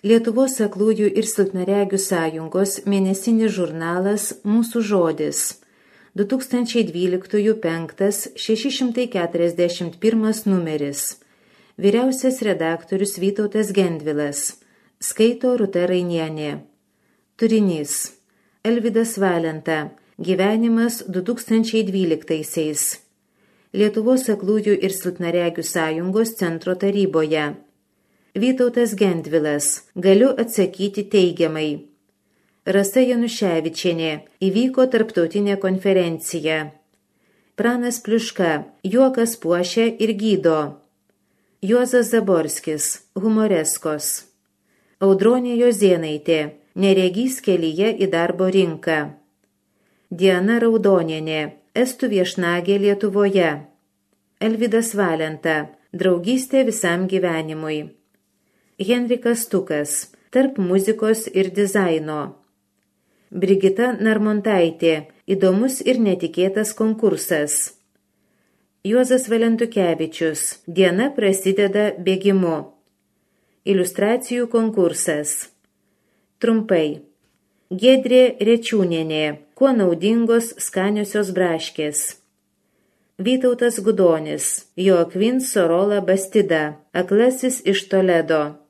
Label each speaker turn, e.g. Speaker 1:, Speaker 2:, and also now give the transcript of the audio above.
Speaker 1: Lietuvos aklųjų ir silpnaregių sąjungos mėnesinis žurnalas Mūsų žodis 2012 5 641 numeris. Vyriausias redaktorius Vytautas Gendvilas. Skaito Rūta Rainienė. Turinys. Elvydas Valenta. Gyvenimas 2012-aisiais. Lietuvos aklųjų ir silpnaregių sąjungos centro taryboje. Vytautas Gendvilas. Galiu atsakyti teigiamai. Rasa Januševičienė. Įvyko tarptautinė konferencija. Pranas Pliuška. Juokas puošia ir gydo. Juozas Zaborskis. Humoreskos. Audronė Jozėnaitė. Neregys kelyje į darbo rinką. Diana Raudonienė. Estų viešnagė Lietuvoje. Elvydas Valenta. Draugystė visam gyvenimui. Henrikas Tukas. Tarp muzikos ir dizaino. Brigita Narmontaitė. Įdomus ir netikėtas konkursas. Juozas Valentukevičius. Diena prasideda bėgimu. Iliustracijų konkursas. Trumpai. Giedrė Rečiūnienė. Kuo naudingos skaniosios braškės. Vytautas Gudonis. Joakvin Sorola Bastida. Aklasis iš Toledo.